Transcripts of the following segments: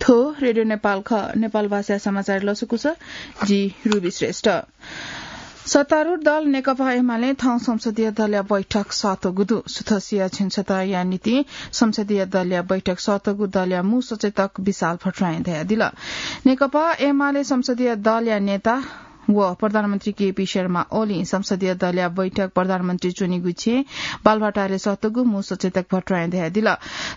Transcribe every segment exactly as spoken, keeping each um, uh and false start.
थ्व रेडियो नेपाल खः। नेपाल भाषा समाचार लसकुस, जि रुबी श्रेष्ठ। सत्तारूढ दल नेकपा एमाले थौं संसदीय दलया बैठक सःतःगु दु। सुथ सिया झिंछतया निंतिं संसदीय दलया बैठक सःतःगु दलया मू सचेतक विशाल भट्टराईं धयादिल। नेकपा एमाले संसदीय दलया नेता व प्रधानमन्त्री केपी शर्मा ओलीं संसदीय दलया बैठक प्रधानमन्त्री च्वनीगु छेँय् बालुवाटारय् सःतःगु मू सचेतक भट्टराईं धयादिल।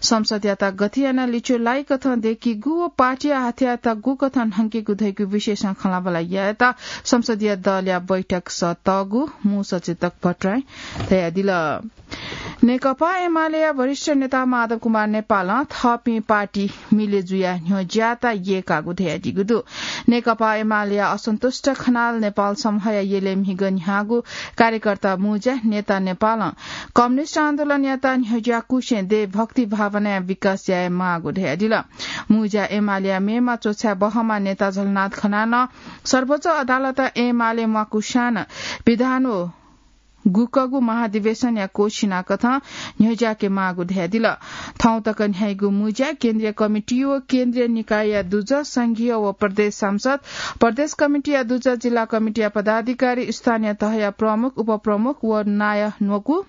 संसदयात गथे यानाः लिच्वः लाइकथं दय्केगु व पार्टीया हाथयात गुकथं न्हंकेगु धइगु विषयसं खँल्हाबल्हा यायेत संसदीय दलया बैठक सःतःगु मू सचेतक भट्टराईं धयादिल। नेकपा एमालेया वरिष्ठ नेता माधव कुमार नेपालं थःपिं पार्टी मिले जुयाः न्ह्यज्याःत यय्कागु धयादीगु दु। नेकपा एमालेया असन्तुष्ट खनाल नेपाल समूहया यलय् म्हिगः न्ह्याःगु कार्यकर्ता मुज्या नेता नेपालं कम्युनिस्ट आन्दोलनयात न्ह्यज्याकुसें देशभक्ति भावनाया विकास याये माःगु धयादिल। मुज्या एमालेया मेमा च्वछाय् बहःम्ह नेता झलनाथ खनालं सर्वोच्च अदालतं एमाले म्वाकुसां नं विधान व गुकगु महाधिवेशनया कोसिना कथं न्ह्यज्याके माःगु धयादिल। थौं तक न्ह्याइगु मुज्या केन्द्रीय कमिटी व केन्द्रीय निकायया दुजः, संघीय व प्रदेश सांसद, प्रदेश कमिटीया दुजः, जिल्ला कमिटीया पदाधिकारी, स्थानीय तहया प्रमुख, उपप्रमुख व नायः न्वकू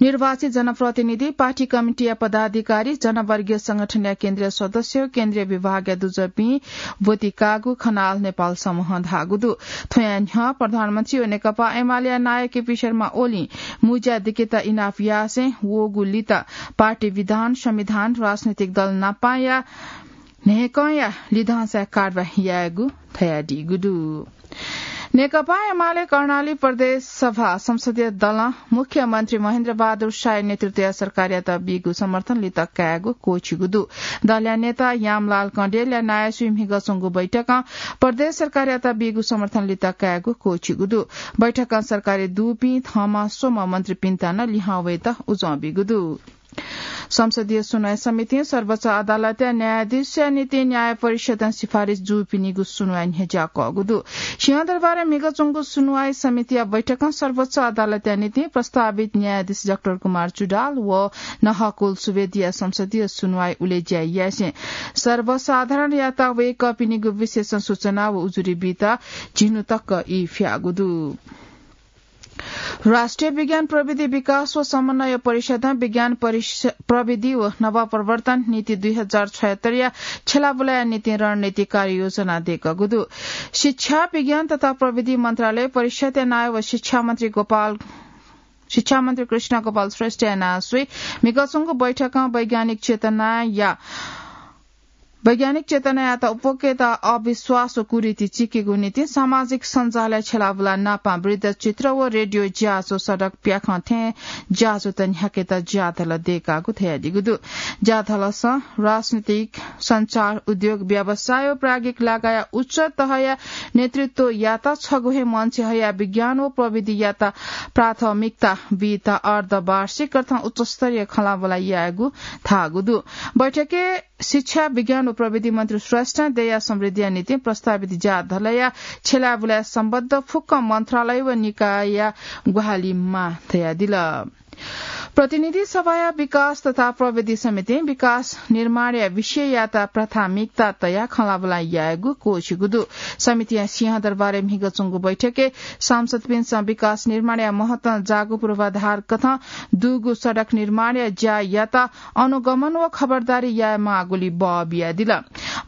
निर्वाचित जनप्रतिनिधि, पार्टी कमिटीया पदाधिकारी, जनवर्गीय संगठनया केन्द्रीय सदस्य, केन्द्रीय विभागया दुजःपिं ब्वति काःगु खनाल नेपाल समूहं धाःगु दु। थ्वया न्ह्यः प्रधानमन्त्री व नेकपा एमालेया नायः केपी शर्मा ओलीं मुज्या दिकेत इनाप यासें वःगु लित पार्टी विधान, संविधान, राजनैतिक दल नापांया न्हय्कंया लिधंसाय् कारवाही यायेगु धयादीगु दु। नेकपा एमाले कर्णाली प्रदेश सभा संसदीय दलं मुख्यमन्त्री महेन्द्र बहादुर शाही नेतृत्वया सरकारयात बीगु समर्थन लित कायेगु क्वःछिगु दु। दलया नेता यामलाल कँडेलया नायःसुइ म्हिगः च्वंगु बैठकं प्रदेश सरकारयात बीगु समर्थन लित कायेगु क्वःछिगु दु। बैठकं सरकारय् दुपिं थःम्हं स्वम्ह मन्त्रीपिन्त नं लिहां वयेत उजं बीगु दु। संसदीय सुनवाई समितिं सर्वोच्च अदालतया न्यायाधीशया निंतिं न्याय परिषदं सिफारिस जूपिनिगु सुनवाई न्ह्यज्याकःगु दु। सिंहदरबारय् म्हिगः च्वंगु सुनवाई समितिया बैठकं सर्वोच्च अदालतया निंतिं प्रस्तावित न्यायाधीश डाक्टर कुमार चुडाल व नहकुल सुवेदीया संसदीय सुनवाई उलेज्याय् यासें सर्वसाधारणयात वय्कःपिनिगु विषयसं सूचना व उजुरी बीत झिन्हु तक ई फ्याःगु दु। राष्ट्रिय विज्ञान प्रविधि विकास व समन्वय परिषदं विज्ञान परिष-, प्रविधि व नवप्रवर्तन नीति दुई हजार छयत्तरया छ्यलाबुलाया निंतिं रणनीतिक कार्ययोजना दय्कःगु दु। शिक्षा, विज्ञान तथा प्रविधि मन्त्रालय, परिषदया नायः व शिक्षा मन्त्री गोपाल, शिक्षा मन्त्री कृष्ण गोपाल श्रेष्ठया नायःसुइ म्हिगः च्वंगु बैठकं वैज्ञानिक चेतनाया वैज्ञानिक चेतनायात उप्वकेत अविश्वास व कुरीति चिकेगु निंतिं सामाजिक सञ्जालय् छ्यलाबुला नापां वृत्तचित्र व रेडियो ज्याझ्वः सडक प्याखं थें ज्याझ्वःत न्ह्याकेत ज्याधल दय्कागु धयादीगु दु। ज्याधलसं राजनीतिक, सञ्चार, उद्योग, व्यवसाय व प्राज्ञिक लगायत उच्च तहया नेतृत्वयात छगू हे मञ्चय् हयाः विज्ञान व प्रविधियात प्राथमिकता बीत अर्धवार्षिक अर्थात् उच्चस्तरीय खँल्हाबल्हा यायेगु धाःगु दु। बैठकय् शिक्षा, विज्ञान व प्रविधि मन्त्री श्रेष्ठं देय्या समृद्धिया निंतिं प्रस्तावित ज्याधलया छ्यलाबुलाय् सम्बद्ध फुक्क मन्त्रालय व निकायया ग्वाहालि माः धयादिल। प्रतिनिधि सभाया विकास तथा प्रविधि समितिं विकास निर्माणया विषययात प्राथमिकता तयाः खँल्हाबल्हा यायेगु क्वःछिगु दु। समितिं सिंहदरबारय् म्हिगः च्वंगु बैठकय् सांसदपिन्सं विकास निर्माणया महत्वं जाःगु पूर्वाधार कथं दुगु सडक निर्माणया ज्यायात अनुगमन व खबरदारी याये माःगुली बः बियादिल।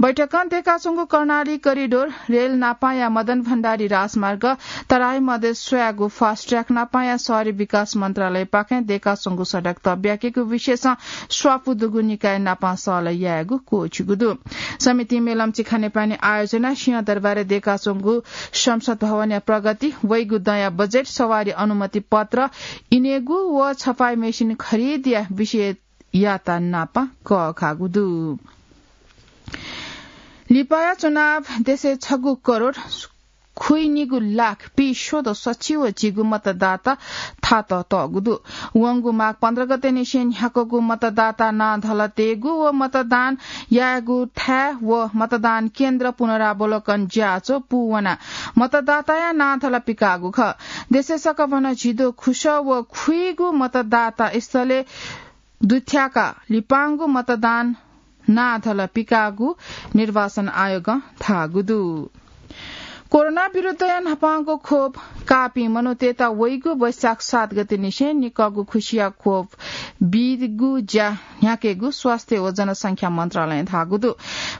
बैठकं दय्काच्वंगु कर्णाली करिडोर, रेल नापांया मदन भण्डारी राजमार्ग, तराई मधेस स्वयागु fast track नापांया शहरी विकास मन्त्रालयपाखें दय्काच्वंगु सडक तब्याकेगु विषयसं स्वापू दुगु निकाय नापां सहलह यायेगु क्वःछिगु दु। समितिं मेलम्ची खानेपानी आयोजनाय् सिंहदरबारय् दय्काच्वंगु संसद भवनया प्रगति, वइगु दँया बजेट, सवारी अनुमति पत्र इनेगु व छपाई मेसिन खरिदया विषय यात नापं कःघाःगु दु। लिपाया चुनाव देशय् छगू करोड खुइनिगू लाख पीस्वदँ सच्छि व झिगू मतदाता थात तःगु दु। वंगु माघ पन्ध्र गते निसें न्ह्याकूगु मतदाता नां धलः तयेगु व मतदान यायेगु थाय् व मतदान केन्द्र पुनरावलोकन ज्याझ्वः पूवनाः मतदाताया नां धलः पिकाःगु खः। देशय् सकभनं झिद्वः खुसः व खुइगू मतदाता स्थलय् दुथ्याकाः लिपांगु मतदान नाथल पिकाःगु निर्वाचन आयोगं धाःगु दु। कोरोना विरुद्धया न्हापांगु खोप काःपिं मनूतय्‌त वइगु वैशाख सात गते निसें निकःगु खुसिया खोप बीगु ज्या न्ह्याकेगु स्वास्थ्य व जनसंख्या मन्त्रालयं धाःगु दु।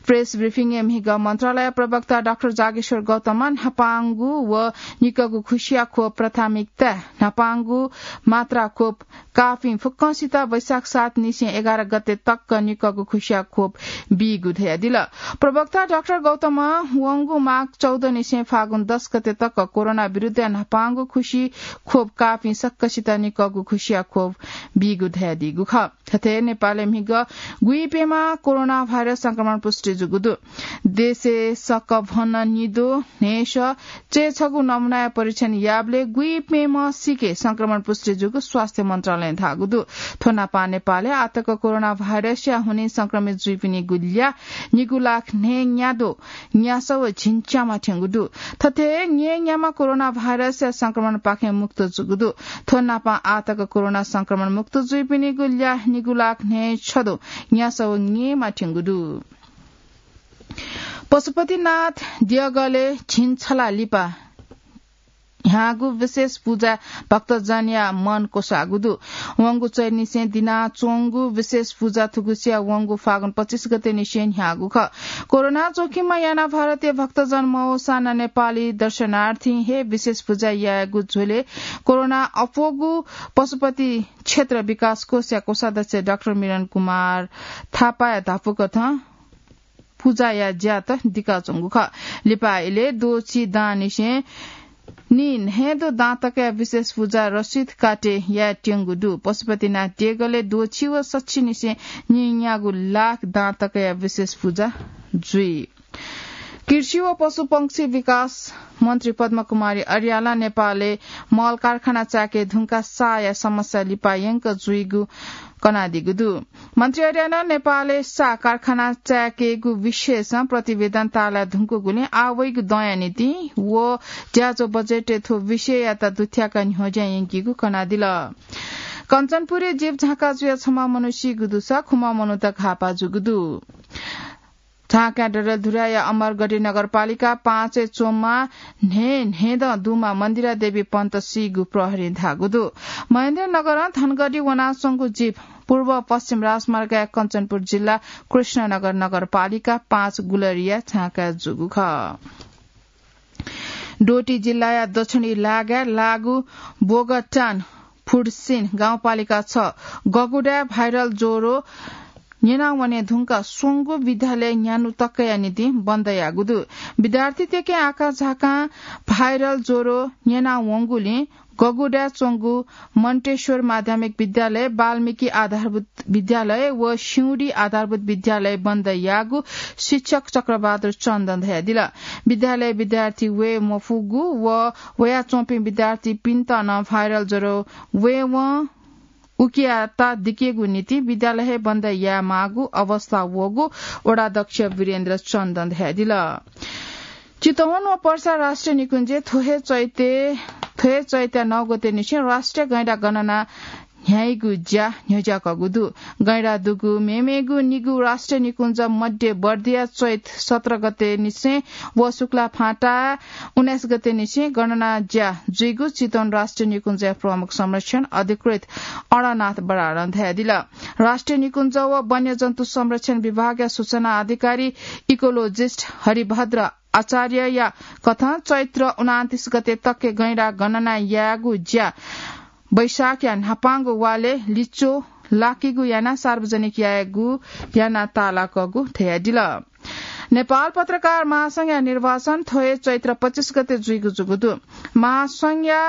प्रेस ब्रिफिङय् म्हिगः मन्त्रालय प्रवक्ता डाक्टर जागेश्वर गौतमं न्हापांगु व निकःगु खुसिया खोप प्राथमिकता न्हापांगु मात्रा खोप काःपिं फुक्कंसित वैशाख सात निसें एघार गते तक निकःगु खुसिया खोप बीगु धयादिल। प्रवक्ता डाक्टर गौतमं वंगु माघ चौध निसें फागुन दस गते तक कोरोना विरुद्धया न्हापांगु खुसी खोप काःपिं सकसित निकःगु खुसिया खोप बीगु धयादीगु खः। थथे नेपालय् म्हिगः गुइप्यम्ह कोरोना भाइरस संक्रमण पुष्टि जूगु दु। देशय् सकभन निद्वः न्हय्‌सः चय्‌छगू नमूनाया परीक्षण याःबलय् गुइप्यम्ह सिके संक्रमण पुष्टि जूगु स्वास्थ्य मन्त्रालयं धाःगु दु। थ्व नापं नेपालय् आःतक कोरोना भाइरसया हुनिं संक्रमित जुइपिनिगु ल्याः निगू लाख न्हय्‌न्याद्वः न्यासः व झिंच्याम्ह थ्यंगु दु। थथे न्यय्‌न्याम्ह कोरोना भाइरसया संक्रमणपाखें मुक्त जूगु दु। थ्व नापं आःतक कोरोना संक्रमण मुक्त जुइपिनिगु ल्याः निगू लाख न्हय्‌छद्वः न्यासः व न्येम्ह थ्यंगु दु। पशुपतिनाथ देगलय् झिंछला लिपा न्ह्याःगु विशेष पुजा भक्तजनया मन क्वसाःगु दु। वंगु चैत निसें दिनाच्वंगु विशेष पुजा थुगुसिया वंगु फागुन पच्चिस गते निसें न्ह्याःगु खः। कोरोना जोखिममा यानाः भारतीय भक्तजन मवःसां नं नेपाली दर्शनार्थीं हे विशेष पुजा यायेगु झ्वलय् कोरोना अप्वःगु पशुपति क्षेत्र विकास कोषया कोषाध्यक्ष डाक्टर मिलन कुमार थापाया धापू कथं पुजाया ज्यात दिकाच्वंगु खः। लिपा इलय् द्वःछि दांनिसें नीन्हय्‌द्वः दां तकया विशेष पुजा रसिद काटे यायेत्यंगु दु। पशुपतिनाथ देगलय् द्वःछि व सच्छिनिसें नीन्यागू लाख दां तकया विशेष पुजा जुइ। कृषि व पशुपंक्षी विकास मन्त्री पद्मकुमारी अर्यालं नेपालय् मल कारखाना चाय्‌के धुंकाः साःया समस्या लिपा यंक जुइगु कनादीगु दु। मन्त्री अर्यालं नेपालय् साः कारखाना चाय्‌केगु विषयसं प्रतिवेदन ताःलाये धुंकूगुलिं आः वइगु दँया निंतिं व ज्याझ्वः बजेटय् थ्व विषययात दुथ्याकाः न्ह्यज्यां यंकीगु कनादिल। कञ्चनपुरय् जीप झाँक्का जुयाः छम्ह मनू सीगु दुसा खुम्ह मनूत घाःपाः जूगु दु। झाँक्कां डडेलधुराया अमरगढी नगरपालिका पाँचय् च्वंम्ह न्हय्‌न्हय्‌दँ दुम्ह मन्दिरा देवी पन्त सीगु प्रहरीं धाःगु दु। महेन्द्रनगरं धनगढी वनाच्वंगु जीप पूर्व पश्चिम राजमार्गया कञ्चनपुर जिल्ला कृष्णनगर नगरपालिका पाँच गुलरिया झाँक्काय् जूगु खः। डोटी जिल्लाया दक्षिणी लागाय् लागू बोगटान फुडसिन गाउँपालिका छ गगुडाय् भाइरल ज्वरो न्यनावने धुंकाः स्वंगू विद्यालय न्यान्हु तकया निंतिं बन्द याःगु दु। विद्यार्थीतय्‌के आकाझाकां भाइरल ज्वरो न्यनावंगुलिं गगुडाय् च्वंगु मन्टेश्वर माध्यमिक विद्यालय, वाल्मीकि आधारभूत विद्यालय व स्युडी आधारभूत विद्यालय बन्द याःगु शिक्षक चक्रबहादुर चन्दं धयादिल। विद्यालय विद्यार्थी वये मफुगु व वयाच्वंपिं विद्यार्थीपिन्त नं भाइरल ज्वरो वयेवं उकियात दिकेगु निंतिं विद्यालय हे बन्द यायेमाःगु अवस्था वःगु वडाध्यक्ष वीरेन्द्र चन्दं धयादिल। चितवन व पर्सा राष्ट्रिय निकुञ्जय् थ्व हे चैतय्, थ्व हे चैतया नौ गते निसें राष्ट्रिय गैंडा गणना न्ह्याइगु ज्या न्ह्यज्याकःगु दु। गैंडा दुगु मेमेगु निगू राष्ट्रिय निकुञ्ज मध्ये बर्दिया चैत सत्र गते निसें व शुक्ला फाँटा उन्नाइस गते निसें गणना ज्या जुइगु चितवन राष्ट्रिय निकुञ्जया प्रमुख संरक्षण अधिकृत अणनाथ बराडं धयादिल। राष्ट्रिय निकुञ्ज व वन्यजन्तु संरक्षण विभागया सूचना अधिकारी इकोलोजिस्ट हरिभद्र आचार्यया कथं चैत्र उनान्तिस गते तक गैंडा गणना यायेगु ज्या वैशाखया न्हापांगु वालय् लिच्वः लाकीगु यानाः सार्वजनिक यायेगु यानाः ताःलाकःगु धयादिल। नेपाल पत्रकार महासंघया निर्वाचन थ्व हे चैत्र पच्चिस गते जुइगु जूगु दु। महासंघया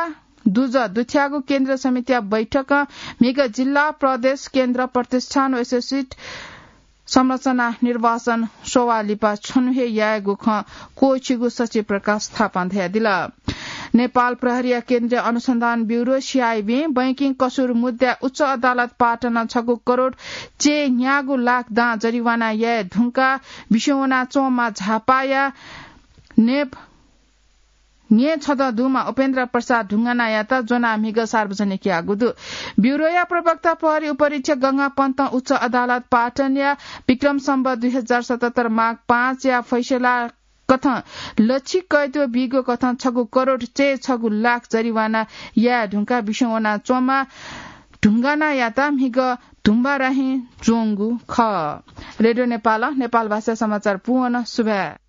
दुजः दुथ्याःगु केन्द्रीय समितिया बैठकं म्हिगः जिल्ला, प्रदेश, केन्द्र, प्रतिष्ठान व एसोसिएट संरचना निर्वाचन स्ववाः लिपा छन्हु हे यायेगु खँ क्वःछिगु सचिव प्रकाश थापां धयादिल। नेपाल प्रहरीया केन्द्रीय अनुसन्धान ब्युरो, सीआइबीं बैंकिङ कसुर मुद्दाय् उच्च अदालत पाटनं छगू करोड चय् न्यागू लाख दां जरिवाना याये धुंकाः बिस्युं वनाच्वंम्ह झापाया नेप न्येछदँ दुम्ह उपेन्द्र प्रसाद ढुङ्गानायात ज्वनाः म्हिगः सार्वजनिक याःगु दु। ब्युरोया प्रवक्ता प्रहरी उपरीक्षक गंगा पन्तं उच्च अदालत पाटनया विक्रम सम्बत दुई हजार सतहत्तर माघ पाँचया फैसला कथं लछि कैद बीगु कथं छगू करोड चय् छगू लाख जरिवाना याये धुंकाः बिस्युं वनाच्वंम्ह ढुङ्गानायात म्हिगः धुम्बाराहिं ज्वंगु खः। रेडियो नेपालं नेपाल भाषा समाचार पूवन। सुभाय्।